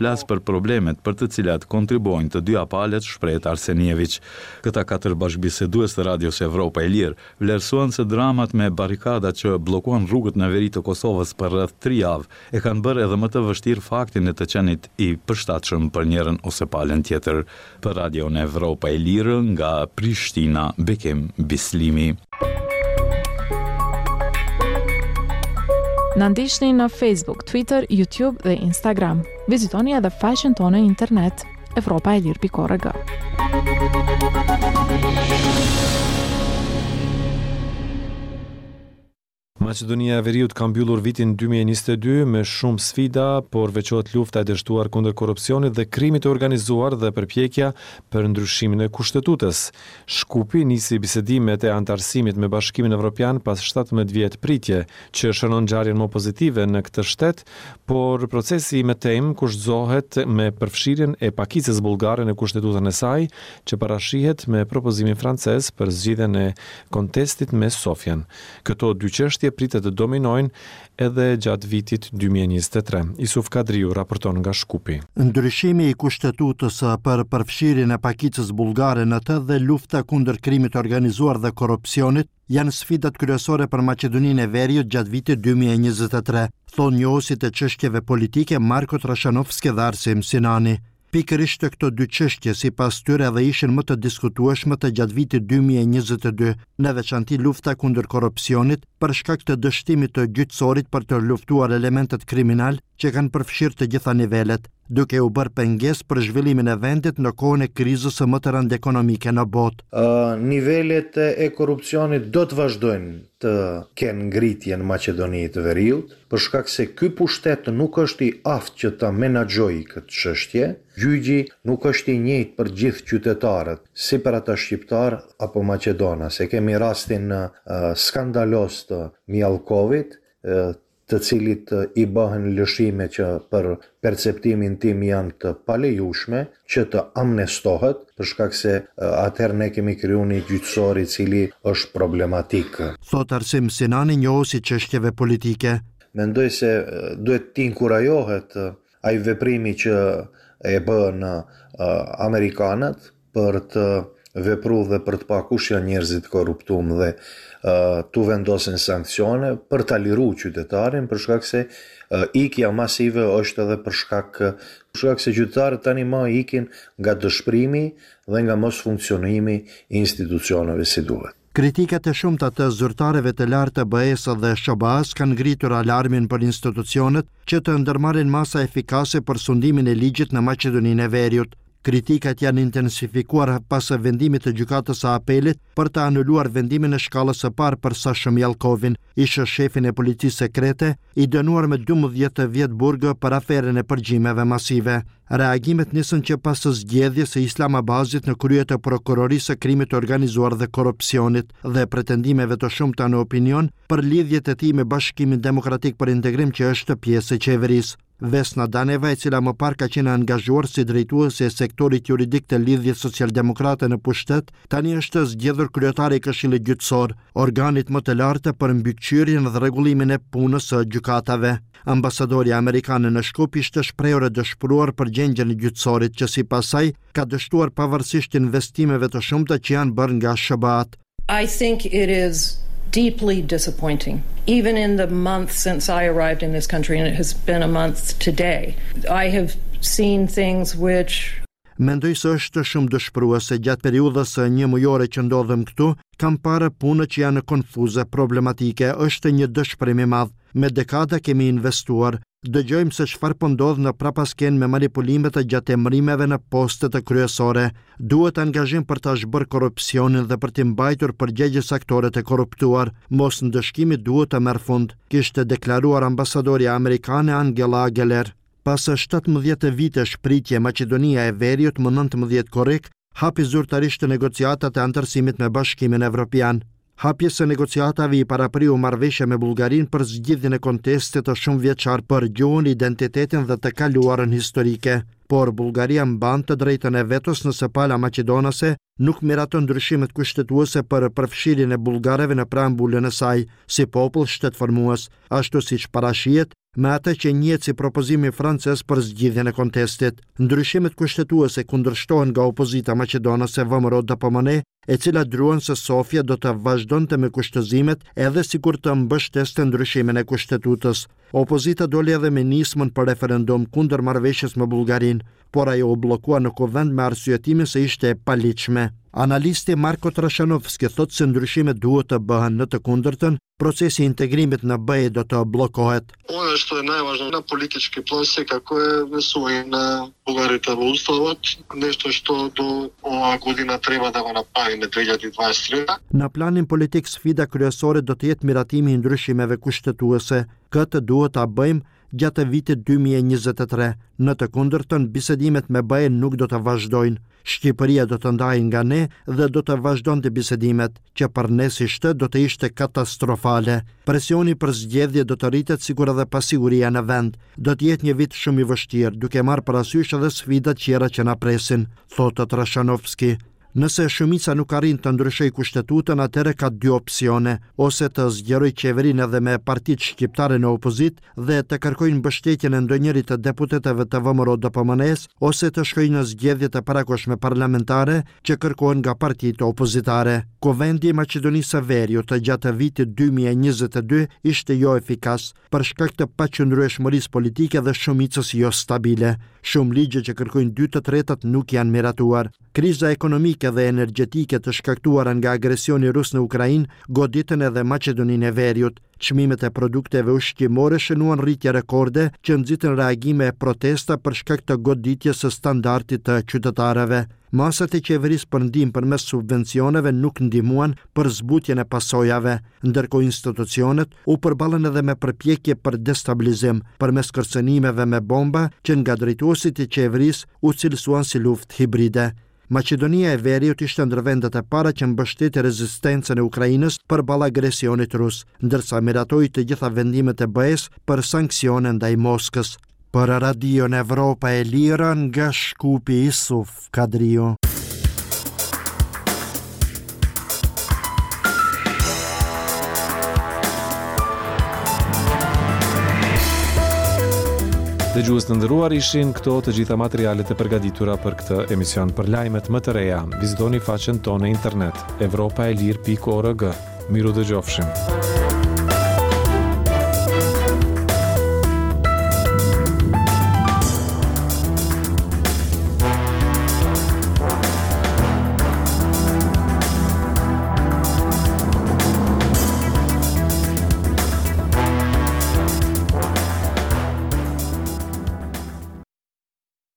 Flas për problemet për të cilat kontribuojnë të dyja palët, shprehet Arsenijeviq. Këta katër bashkëbisedues të Radios Evropa e Lirë, vlerësuan se dramat me barrikadat që bllokuan rrugët në veri të Kosovës për rreth tri javë, e kanë bërë edhe më të vështirë faktin e të qenit i përshtatshëm për njërën ose palën tjetër. Për Radion Evropa e Lirë nga Prishtina, Bekim Bislimi. Na ndiqni në Facebook, Twitter, YouTube dhe Instagram. Vizitoni edhe faqen tonë në internet evropaelire.org. Maqedonia e Veriut ka mbyllur vitin 2022 me shumë sfida, por veçohet lufta e dështuar kundër korrupsionit dhe krimit të organizuar dhe përpjekja për ndryshimin e Kushtetutës. Shkupi nisi bisedimet e anëtarësimit me Bashkimin Evropian pas 17 vjet pritje, që shënon ngjarjen më pozitive në këtë shtet, por procesi i mëtejmë kushtëzohet me përfshirjen e pakicës bullgare në Kushtetutën e saj, që parashihet me propozimin francez për zgjidhjen e kontestit me Sofjen. Këto dy çështje pritet të dominojnë edhe gjatë vitit 2023. Isuf Kadriu raporton nga Shkupi. Ndryshimi i Kushtetutës për përfshirjen e pakicës bullgare në të dhe lufta kundër krimit të organizuar dhe korrupsionit janë sfidat kryesore për Maqedoninë e Veriut gjatë vitit 2023, thonë njohësit e çështjeve politike Marko Trashanovski dhe Arsim Sinani. Pikërisht këto dy çështje, sipas tyre edhe ishin më të diskutueshmet gjatë vitit 2022, në veçanti lufta kundër korrupsionit, për shkak të dështimit të gjyqësorit për të luftuar elementët kriminalë që kanë përfshirë të gjitha nivelet, duke u bërë pengesë për zhvillimin e vendit në kohën e krizës më të rëndë ekonomike në botë. Nivelet e korrupsionit do të vazhdojnë të kenë ngritje në Maqedoni të Veriut, për shkak se ky pushtet nuk është i aftë që ta menaxhojë këtë çështje, gjyqi nuk është i njëjtë për gjithë qytetarët, si për ata shqiptarë apo maqedonas. E kemi rastin skandaloz të Mijallkovit, të cilit i bëhen lëshime që për perceptimin tim janë të palejushme, që të amnestohet, për shkak se atëherë ne kemi kriju një gjyqësor i cili është problematik. Thotë Arsim Sinani, njohës i çështjeve politike. Mendoj se duhet të inkurajohet ai veprimi që e bënë amerikanët për të vepru dhe për të pa kush janë njerëzit e korruptum dhe t'u vendosen sanksione për ta liru qytetarin për shkak se ikja masive është edhe për shkak për shkak se qytetarët tani më ikin nga dëshpërimi dhe nga mosfunksionimi i institucioneve si duhet. Kritikat e shumta të zyrtarëve të lartë të BE-së dhe SHBA-së kanë ngritur alarmin për institucionet që të ndërmarrin masa efikase për sundimin e ligjit në Maqedoninë e Veriut. Kritikat janë intensifikuar pas vendimit të Gjykatës së Apelit për të anuluar vendimin e shkallës së parë për Sasho Mijallkovin, ish-shefin e policisë sekrete, i dënuar me 12 vjet burg për aferën e përgjimeve masive. Reagimet nisën që pas zgjedhjes së Islam Abazit në krye të Prokurorisë së Krimit të Organizuar dhe Korrupsionit dhe pretendimeve të shumta në opinion për lidhjet e tij me Bashkimin Demokratik për Integrim që është pjesë e qeverisë. Vesna Daneva, e cila më parë ka qenë e angazhuar si drejtuese e sektorit juridik të Lidhjes Socialdemokrate në pushtet, tani është zgjedhur kryetare i Këshillit Gjyqësor, organit më të lartë për mbikëqyrjen dhe rregullimin e punës së gjykatave. Ambasadorja amerikane në Shkup ishte shprehur e dëshpëruar për gjendjen e gjyqësorit që sipas saj ka dështuar pavarësisht investimeve të shumta që janë bërë nga SHBA-të. I think it is deeply disappointing. Even in the month since I arrived in this country, and it has been a month today, I have seen things which Mendoj se është shumë dëshpëruese gjatë periudhës një mujore që ndodhem këtu, kam parë punë që janë konfuze, problematike, është një dëshpërim i madh. Me dekada kemi investuar, Dëgjojmë se çfarë po ndodh në prapaskenë me manipulimet gjatë emërimeve në postet kryesore. Duhet angazhim për ta zhbërë korrupsionin dhe për t'i mbajtur përgjegjës aktorët e korruptuar. Mosndëshkimi duhet të merr fund, kishte deklaruar ambasadorja amerikane Angela Ageler. Pas 17 vitesh pritje, Maqedonia e Veriut më 19 korrik hapi zyrtarisht negociatat e anëtarësimit me Bashkimin Evropian. Hapjes së negociatave i parapriu marrëveshja me Bullgarinë për zgjidhjen e kontestit të shumëvjeçar për gjuhën, identitetin dhe të kaluarën historike. Por Bullgaria mban të drejtën e vetos nëse pala maqedonase nuk miraton ndryshimet kushtetuese për përfshirjen e bullgarëve në preambulën e saj, si popull shtetformues, ashtu siç parashihet. me atë që njihet si propozimi francez për zgjidhjen e kontestit. Ndryshimet kushtetuese kundërshtohen nga opozita maqedonase VMRO-DPMNE, e cila druan se Sofja do të vazhdonte me kushtëzimet edhe sikur të mbështeste ndryshimin e kushtetutës. Opozita doli edhe me nismën për referendum kundër marrëveshjes me Bullgarinë, por ajo u bllokua në Kuvend me arsyetimin se ishte e paligjshme. Analisti Marko Trashanovski thotë se ndryshimet duhet të bëhen, në të kundërtën, procesi i integrimit në BE do të bllokohet. Ono što je najvažnije na politički plan sekako je внесување на бугарите во Уставот, нешто што до оваа година треба да го направиме 2023. Në planin politik sfida kryesore do të jetë miratimi i ndryshimeve kushtetuese. Këtë duhet ta bëjmë gjatë vitit 2023. Në të kundërtën, bisedimet me BE nuk do të vazhdojnë. Shqipëria do të ndahej nga ne dhe do të vazhdonte bisedimet, që për ne si shtet do të ishte katastrofale. Presioni për zgjedhje do të rritet sikur edhe pasiguria në vend. Do të jetë një vit shumë i vështirë, duke marrë parasysh edhe sfidat tjera që na presin, thotë Trashanovski. Nëse shumica nuk arrin të ndryshojë kushtetutën, atëherë ka dy opsione, ose të zgjerojë qeverinë edhe me partitë shqiptare në opozitë dhe të kërkojnë mbështetjen e ndonjërit të deputetëve të VMRO-DPMNE-së, ose të shkojë në zgjedhje të parakohshme parlamentare që kërkohen nga partitë opozitare. Kuvendi i Maqedonisë së Veriut gjatë vitit 2022 ishte joefikas, për shkak të paqëndrueshmërisë politike dhe shumicës jostabile. Shumë ligje që kërkojnë dy të tretat nuk janë miratuar. Kriza ekonomike dhe energjetike të shkaktuara nga agresioni rus në Ukrainë goditën edhe Maqedoninë e Veriut. Çmimet e produkteve ushqimore shënuan rritje rekorde që nxitën reagime e protesta për shkak të goditjes së standardit të qytetarëve. Masat e qeverisë për ndihmë përmes subvencioneve nuk ndihmuan për zbutjen e pasojave, ndërkohë institucionet u përballën edhe me përpjekje për destabilizim përmes kërcënimeve me bomba që nga drejtuesit e qeverisë u cilësuan si luftë hibride. Maqedonia e Veriut ishte ndër vendet e para që mbështeti rezistencën e Ukrainës përballë agresionit rus, ndërsa miratoi të gjitha vendimet e BE-së për sanksione ndaj Moskës. Për Radion Evropa e Lirë nga Shkupi Isuf Kadriu. Dëgjues të nderuar ishin këto të gjitha materialet e përgatitura për këtë emision. Për lajmet më të reja, vizitoni faqen tonë në internet evropaelire.org. Mirudëgjofshim.